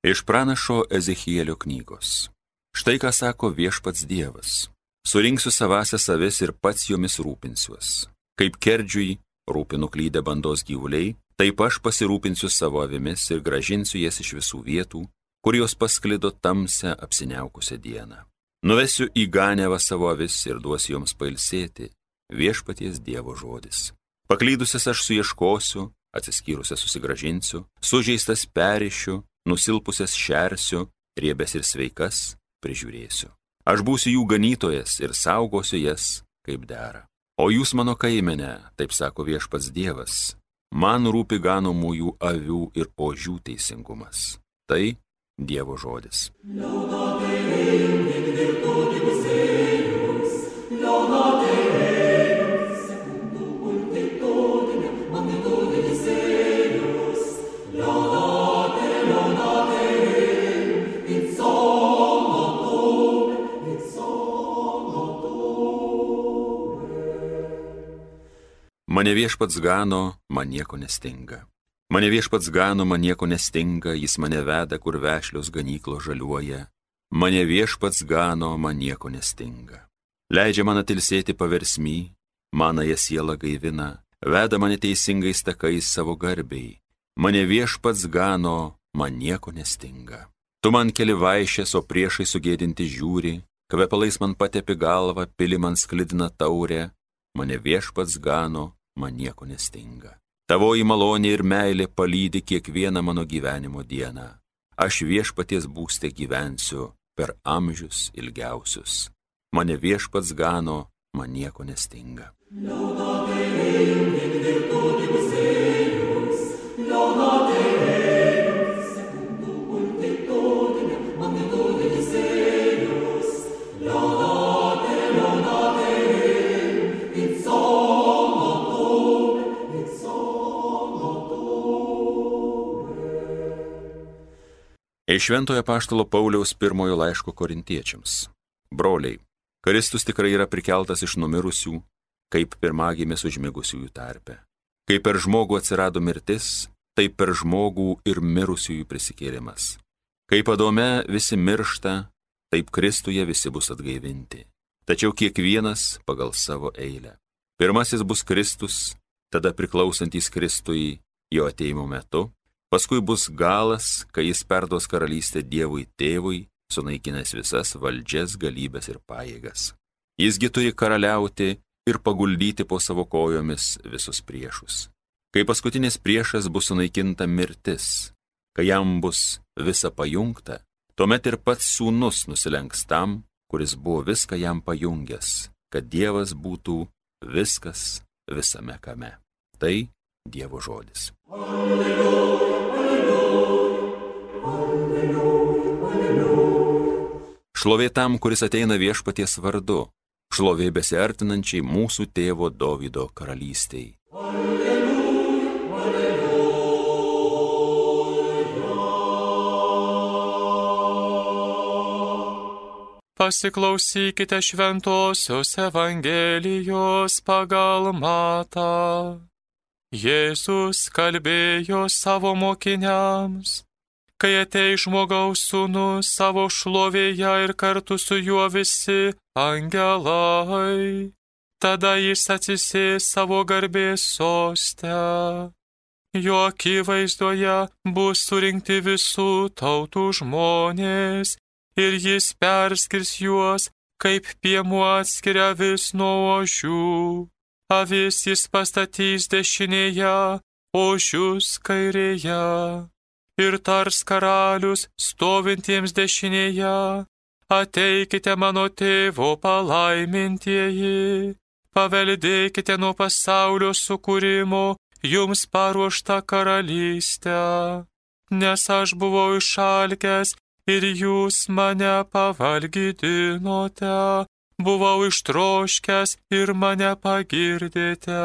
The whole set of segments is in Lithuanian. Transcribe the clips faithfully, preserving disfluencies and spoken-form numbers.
Iš pranašo Ezechielio knygos. Štai ką sako viešpats Dievas. Surinksiu savąsias avis ir pats jomis rūpinsiuos. Kaip kerdžiui rūpinu klydę bandos gyvuliai, taip aš pasirūpinsiu savo avimis ir gražinsiu jas iš visų vietų, kur jos pasklido tamsią apsiniaukusią dieną. Nuvesiu į Ganevą savo avis ir duosiu joms pailsėti, viešpaties Dievo žodis. Paklydusias aš suieškosiu, atsiskyrusias susigražinsiu, sužeistas perišiu, nusilpusias šersiu, riebes ir sveikas prižiūrėsiu. Aš būsiu jų ganytojas ir saugosiu jas kaip dera. O jūs mano kaimene, taip sako viešpats Dievas, man rūpi ganomųjų avių ir ožių teisingumas. Tai Dievo žodis. Mane viešpats gano, man nieko nestinga. Mane viešpats gano, man nieko nestinga, jis mane veda, kur vešlios ganyklos žaliuoja. Mane viešpats gano, man nieko nestinga. Leidžia man atilsėti paversmy, manąją sielą gaivina, veda mane teisingais takais savo garbiai. Mane viešpats gano, man nieko nestinga. Tu man keli vaišės, o priešai sugėdinti žiūri, kvepalais man patepi galvą, pili man sklidina taurę. Mane viešpats gano, man nieko nestinga. Tavoji malonė ir meilė palydi kiekvieną mano gyvenimo dieną. Aš viešpaties būste gyvensiu per amžius ilgiausius. Mane viešpats gano, man nieko nestinga. Iš Šventojo apaštalo Pauliaus pirmojo laiško korintiečiams. Broliai, Kristus tikrai yra prikeltas iš numirusių, kaip pirmagimis užmigusiųjų tarpe. Kaip per žmogų atsirado mirtis, taip per žmogų ir mirusiųjų prisikėlimas. Kaip Adome visi miršta, taip Kristuje visi bus atgaivinti. Tačiau kiekvienas pagal savo eilę. Pirmasis bus Kristus, tada priklausantys Kristui jo atėjimo metu. Paskui bus galas, kai jis perduos karalystę Dievui Tėvui, sunaikinęs visas valdžias, galybes ir pajėgas. Jisgi turi karaliauti ir paguldyti po savo kojomis visus priešus. Kai paskutinis priešas bus sunaikinta mirtis, kai jam bus visa pajungta, tuomet ir pats sūnus nusilenks tam, kuris buvo viską jam pajungęs, kad Dievas būtų viskas visame kame. Tai Dievo žodis. Alleluja. Šlovė tam, kuris ateina viešpaties vardu, šlovė besiartinančiai mūsų tėvo Dovydo karalystei. Alleluja, alleluja. Pasiklausykite šventosios Evangelijos pagal Matą. Jėzus kalbėjo savo mokiniams, kai ateis žmogaus sūnus savo šlovėje ir kartu su juo visi angelai, tada jis atsisės savo garbės soste. Jo akivaizdoje bus surinkti visų tautų žmonės ir jis perskirs juos, kaip piemuo atskiria avis nuo ožių. Avis jis pastatys dešinėje, ožius kairėje. Ir tars karalius stovintiems dešinėje, ateikite mano tėvo palaimintieji, paveldėkite nuo pasaulio sukūrimo jums paruoštą karalystę, nes aš buvau išalkęs ir jūs mane pavalgydinote, buvau ištroškęs ir mane pagirdėte.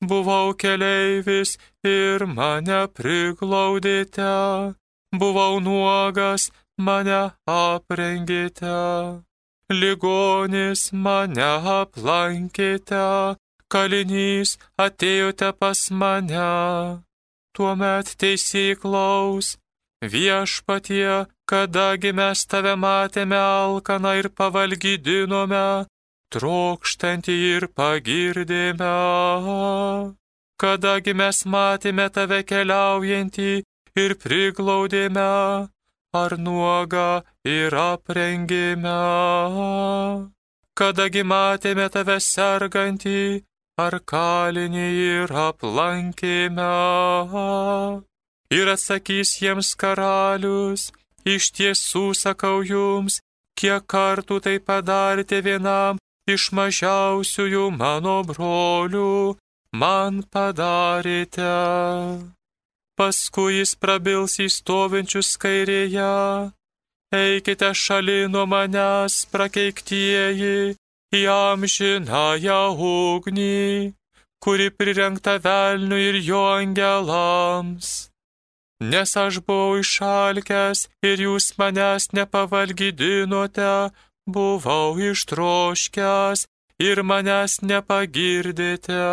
Buvau keleivis ir mane priglaudėte, buvau nuogas, mane aprengėte, ligonis mane aplankėte, kalinys atėjote pas mane. Tuomet teisėklaus Viešpatie, kadagi mes tave matėme alkaną ir pavalgydinome, trokštantį ir pagirdėme. Kadagi mes matėme tave keliaujantį ir priglaudėme, ar nuogą ir aprengėme. Kadagi matėme tave sergantį, ar kalinį ir aplankėme. Ir atsakys jiems karalius, iš tiesų sakau jums, kiek kartų tai padarėte vienam iš mažiausiųjų mano brolių, man padarėte. Paskui jis prabils į stovinčius kairėje, eikite šalin nuo manęs, prakeiktieji, į amžinąją ugnį, kuri prirengta velniui ir jo angelams. Nes aš buvau išalkęs ir jūs manęs nepavalgydinote, buvau ištroškęs ir manęs nepagirdėte.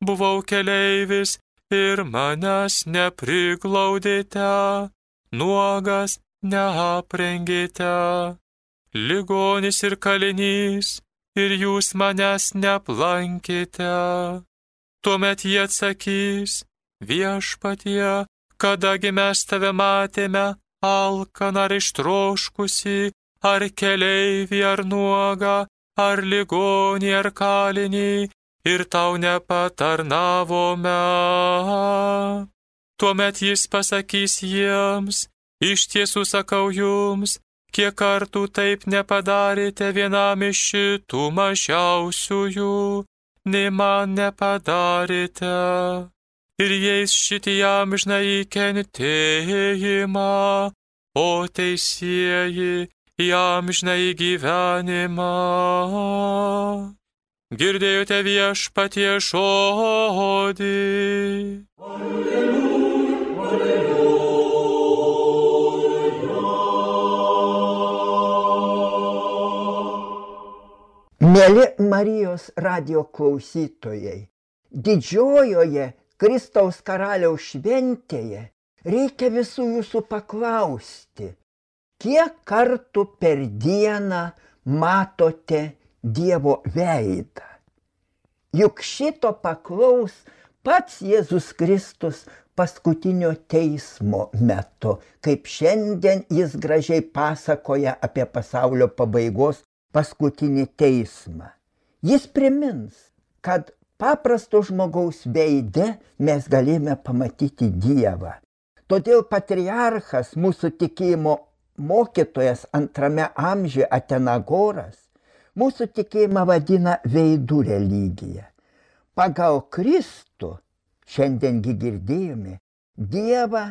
Buvau keleivis ir manęs nepriglaudėte, nuogas neaprengėte, ligonis ir kalinys ir jūs manęs neaplankėte. Tuomet jie atsakys, viešpatie, kadagi mes tave matėme alkaną ar ištroškusį, ar keleivį, ar nuogą, ar ligonį, ar kalinį, ir tau nepatarnavome. Tuomet jis pasakys jiems, iš tiesų sakau jums, kiek kartų taip nepadarėte vienam iš šitų mažiausiųjų, nei man nepadarėte. Ir jais šitį amžinąjį kentėjimą, o teisieji į amžinąjį gyvenimą. Girdėjote viešpatie žodį. Mieli Marijos radijo klausytojai, didžiojoje Kristaus karaliaus šventėje reikia visų jūsų paklausti, kiek kartų per dieną matote Dievo veidą. Juk šito paklaus pats Jėzus Kristus paskutinio teismo metu, kaip šiandien jis gražiai pasakoja apie pasaulio pabaigos paskutinį teismą. Jis primins, kad paprasto žmogaus veide mes galime pamatyti Dievą. Todėl patriarchas, mūsų tikėjimo mokytojas antrame amžiuje Atenagoras, mūsų tikėjimą vadina veidų religija. Pagal Kristų, šiandiengi girdėjome, Dievą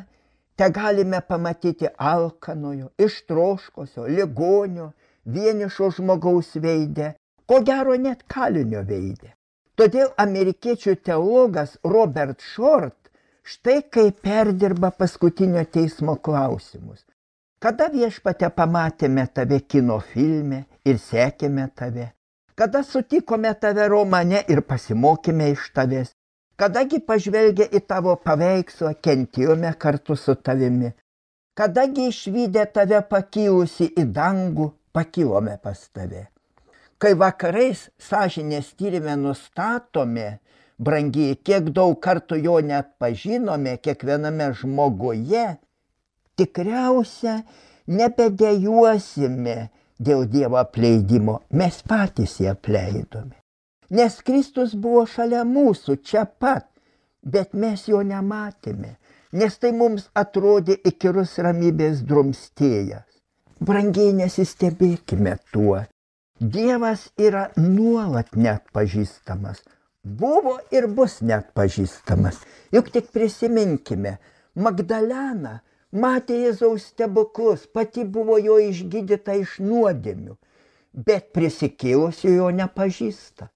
te galime pamatyti alkanojo, ištroškosio, ligonio, vienišo žmogaus veide, ko gero net kalinio veide. Todėl amerikiečių teologas Robert Short štai kaip perdirba paskutinio teismo klausimus. Kada viešpate pamatėme tave kino filme ir sekėme tave? Kada sutikome tave romane ir pasimokėme iš tavęs? Kadagi pažvelgę į tavo paveikslą kentėjome kartu su tavimi? Kadagi išvydę tave pakilusi į dangų, pakilome pas tave? Kai vakarais sąžinės tyrime nustatome, brangiai, kiek daug kartų jo net pažinome kiekviename žmoguje, tikriausia nebedejuosime dėl Dievo apleidimo, mes patys jį apleidome. Nes Kristus buvo šalia mūsų, čia pat, bet mes jo nematėme, nes tai mums atrodė įkyrus ramybės drumstėjas. Brangiai, nesistebėkime tuo. Dievas yra nuolat neatpažįstamas, buvo ir bus neatpažįstamas. Juk tik prisiminkime, Magdalena matė Jėzaus stebuklus, pati buvo jo išgydyta iš nuodėmių, bet prisikėlusio jo nepažįsta.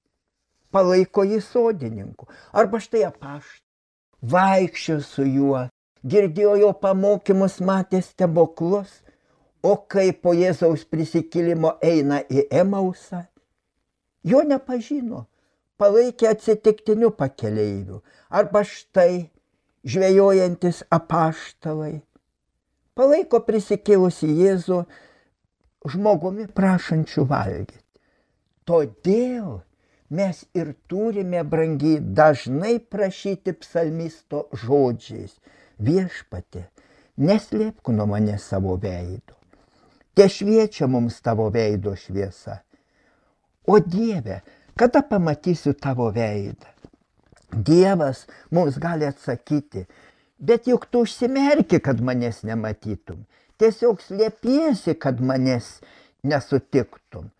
Palaiko jį sodininku, arba štai apaštalai, vaikščiojo su juo, girdėjo jo pamokymus, matė stebuklus. O kai po Jėzaus prisikėlimo eina į Emausą, jo nepažino, palaikė atsitiktiniu pakeleiviu, arba štai žvejojantis apaštalai. palaiko prisikėlusi Jėzų žmogumi prašančių valgyti. Todėl mes ir turime, brangiai, dažnai prašyti psalmisto žodžiais: Viešpatie, neslėpk nuo manęs savo veido. Te šviečia mums tavo veido šviesa. O Dieve, kada pamatysiu tavo veidą? Dievas mums gali atsakyti: bet juk tu užsimerki, kad manęs nematytum. Tiesiog slėpiesi, kad manęs nesutiktum.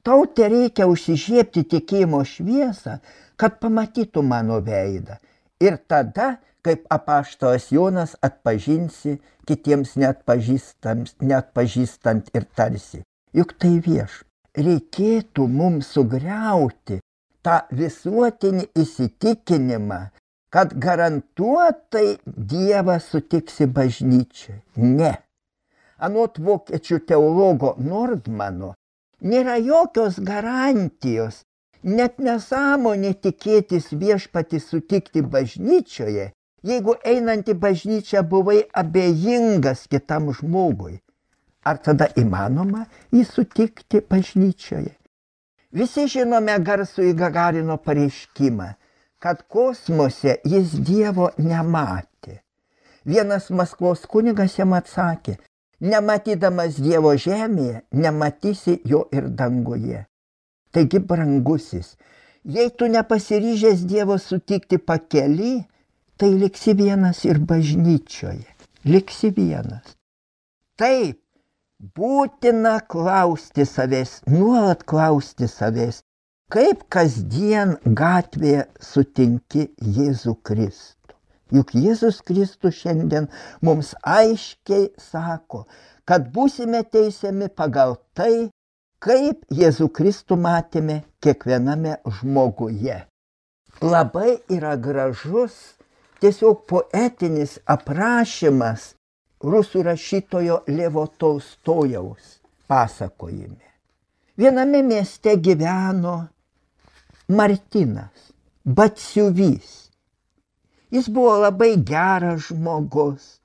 Tau te reikia užsižiebti tikėjimo šviesą, kad pamatytum mano veidą. Ir tada, kaip apaštalas Jonas, atpažinsi kitiems neatpažįstant, neatpažįstant ir tarsi: juk tai vieš. Reikėtų mums sugriauti tą visuotinį įsitikinimą, kad garantuotai Dievą sutiksi bažnyčiai. Ne. Anot vokiečių teologo Nordmano, nėra jokios garantijos, net nesąmonė tikėtis viešpatį sutikti bažnyčioje, jeigu einant į bažnyčią buvai abejingas kitam žmogui. Ar tada įmanoma jį sutikti bažnyčioje? Visi žinome garsųjį Gagarino pareiškimą, kad kosmose jis Dievo nematė. Vienas Maskvos kunigas jam atsakė: nematydamas Dievo žemėje, nematysi jo ir danguje. Taigi, brangusis, jei tu nepasiryžęs Dievo sutikti pakely, tai liksi vienas ir bažnyčioje. Liksi vienas. Taip, būtina klausti savęs, nuolat klausti savęs, kaip kasdien gatvėje sutinki Jėzų Kristų. Juk Jėzus Kristus šiandien mums aiškiai sako, kad būsime teisiami pagal tai, kaip Jėzų Kristų matėme kiekviename žmoguje. Labai yra gražus, tiesiog poetinis aprašymas rusų rašytojo Levo Tolstojaus pasakojime. Viename mieste gyveno Martinas, batsiuvys. Jis buvo labai geras žmogus,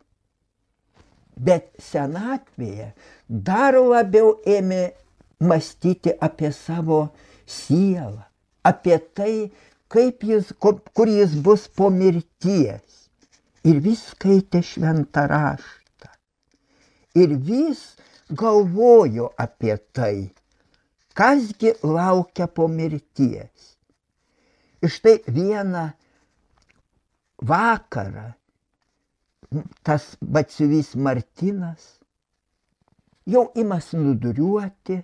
bet senatvėje dar labiau ėmė mąstyti apie savo sielą, apie tai, kaip jis, kur jis bus po mirties. Ir vis skaitė šventą raštą. Ir vis galvojo apie tai, kasgi laukia po mirties. Ir štai vieną vakarą tas batsiuvys Martinas jau ima snūduriuoti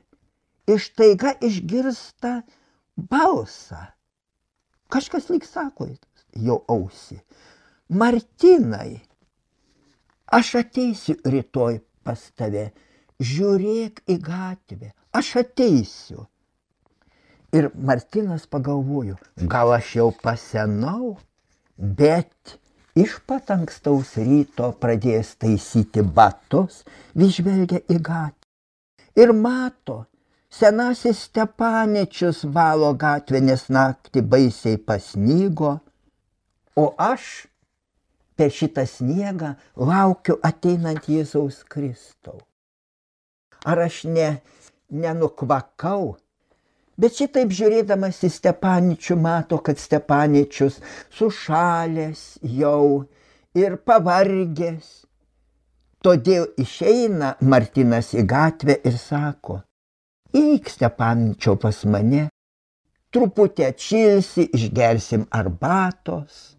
ir štaiga išgirsta balsą. Kažkas lyg sako jo ausį: Martinai, aš ateisiu rytoj pas tave, žiūrėk į gatvę, aš ateisiu. Ir Martinas pagalvojo: gal aš jau pasenau, bet iš pat ankstaus ryto pradėjęs taisyti batus, vis žvelgia į gatvę ir mato, senasis Stepanečius valo gatvę, nes naktį baisiai pasnygo, o aš per šitą sniegą laukiu ateinant Jėzaus Kristaus. Ar aš ne, nenukvakau? Bet šitaip žiūrėdamas į Stepanečių mato, kad Stepanečius sušalęs jau ir pavargęs. Todėl išeina Martinas į gatvę ir sako: eik, Stepanečiau, pas mane, truputį atšilsi, išgersim arbatos.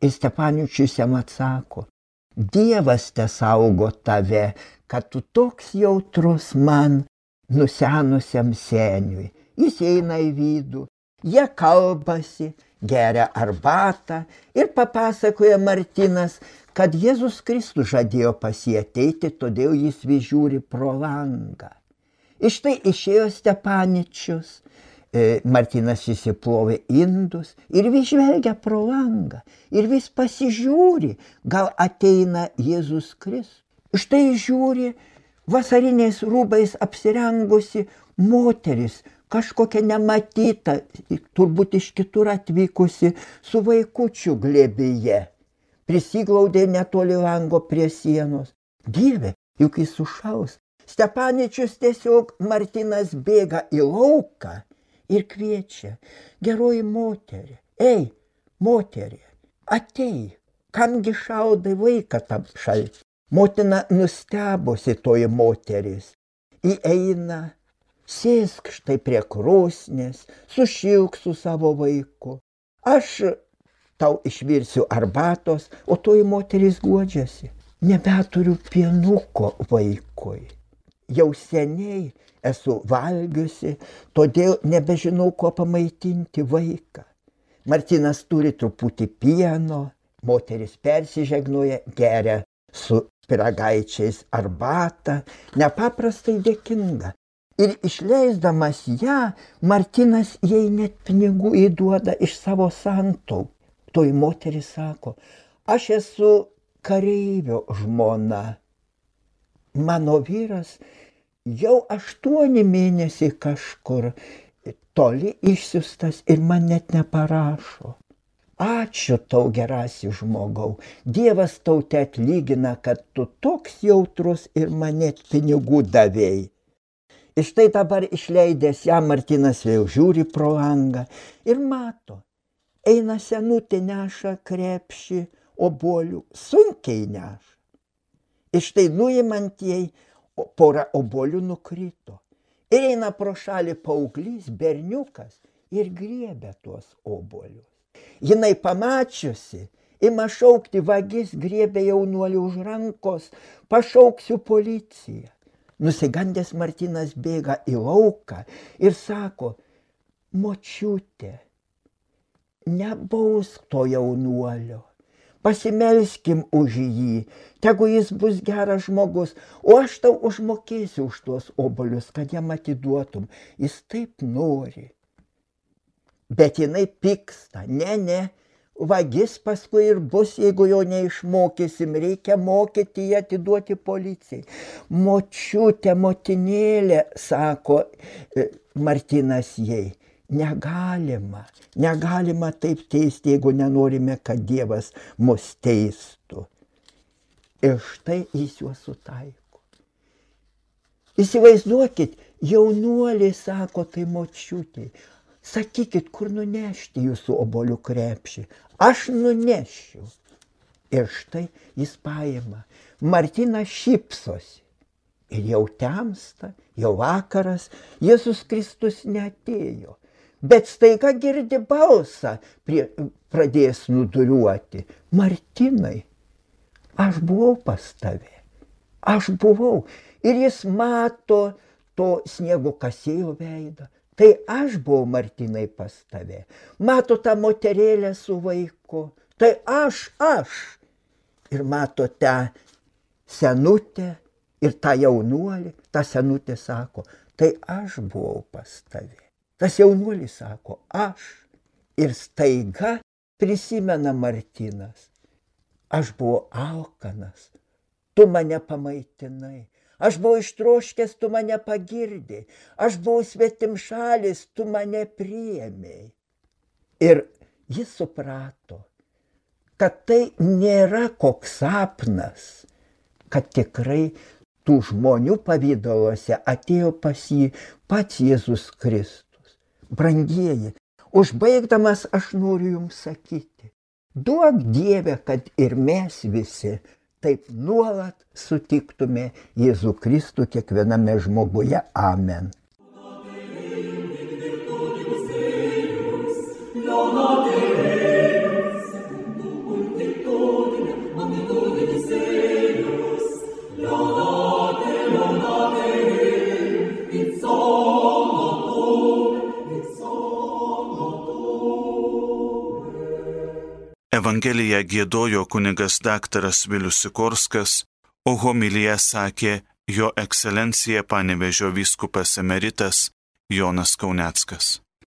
Ir Stepanečius jam atsako: Dievas te saugo tave, kad tu toks jautrus man, nusenusiam seniui. Jis eina į vidų, jie kalbasi, geria arbatą ir papasakoja Martinas, kad Jėzus Kristus žadėjo pas jį ateiti, todėl jis vis žiūri pro langą. Ir štai išėjo Stepanečius, Martinas įsiplovė indus ir vis žvelgia pro langą ir vis pasižiūri, gal ateina Jėzus Kristus. Štai žiūri, vasariniais rūbais apsirengusi moteris, kažkokia nematyta, turbūt iš kitur atvykusi, su vaikučiu glėbyje. Prisiglaudė netoli lango prie sienos. Dieve, juk jis sušaus. Stepaničius tiesiog Martinas bėga į lauką ir kviečia: geroji moterį, ei, moterį, atei, kamgi šaudai vaiką tam šaltį. Motina nustebusi toji moteris, įeina, sėsk štai prie krosnės, sušilk su savo vaiku. Aš tau išvirsiu arbatos, o toji moteris guodžiasi: nebeturiu pienuko vaikui. Jau seniai esu valgiusi, todėl nebežinau, kuo pamaitinti vaiką. Martinas turi truputį pieno, moteris persižegnoja, geria su pyragaičiais arbatą, nepaprastai dėkinga. Ir išleisdamas ją, Martinas jai net pinigų įduoda iš savo santaupų. Toji moteris sako: aš esu kareivio žmona. Mano vyras jau aštuoni mėnesiai kažkur toli išsiustas ir man net neparašo. Ačiū tau, gerasi žmogau, Dievas tau te atlygina, kad tu toks jautrus ir man net pinigų davėjai. Ir štai dabar išleidęs ją, Martinas vėl žiūri pro langą ir mato, eina senutė, neša krepšį obuolių, sunkiai neša. Ir štai nuimant jai, pora obuolių nukrito. Ir eina pro šalį paauglys, berniukas, ir griebia tuos obuolius. Jinai pamačiusi, ima šaukti: vagis griebė jaunuolį už rankos, pašauksiu policiją. Nusigandęs Martinas bėga į lauką ir sako: močiutė, nebausk to jaunuolio. Pasimelskim už jį, tegu jis bus geras žmogus, o aš tau užmokėsiu už tuos obuolius, kad jam atiduotum. Jis taip nori. Bet jinai pyksta: ne, ne, vagis paskui ir bus, jeigu jo neišmokysim, reikia mokyti jį atiduoti policijai. Močiutė, motinėlė, sako Martinas jai, negalima, negalima taip teisti, jeigu nenorime, kad Dievas mus teistų. Ir štai jis juos sutaiko. Įsivaizduokit, jaunuoliai sako tai močiutei: sakykit, kur nunešti jūsų obuolių krepšį, aš nunešiu. Ir štai jis paima. Martinas šypsosi. Ir jau temsta, jau vakaras, Jėzus Kristus neatėjo. Bet staiga girdi balsą, prie, pradės nuduriuoti: Martinai, aš buvau pas tave, aš buvau. Ir jis mato to sniego kasėjo veidą. Tai aš buvau, Martinai, pas tave. Mato tą moterėlę su vaiku. Tai aš, aš. Ir mato tą senutę ir tą jaunuolį. Ta senutė sako: tai aš buvau pas tave. Tas jaunuolis sako: aš. Ir staiga prisimena Martinas: aš buvau alkanas, tu mane pamaitinai. Aš buvau ištroškęs, tu mane pagirdai. Aš buvau svetimšalis, tu mane priėmei. Ir jis suprato, kad tai nėra koks sapnas, kad tikrai tų žmonių pavidaluose atėjo pas jį pats Jėzus Kristus. Brangieji, užbaigdamas aš noriu jums sakyti: duok Dieve, kad ir mes visi taip nuolat sutiktume Jėzų Kristų kiekviename žmoguje. Amen. Evangeliją giedojo kunigas daktaras Vilius Sikorskas, o homiliją sakė jo ekscelencija Panevėžio vyskupas emeritas Jonas Kauneckas.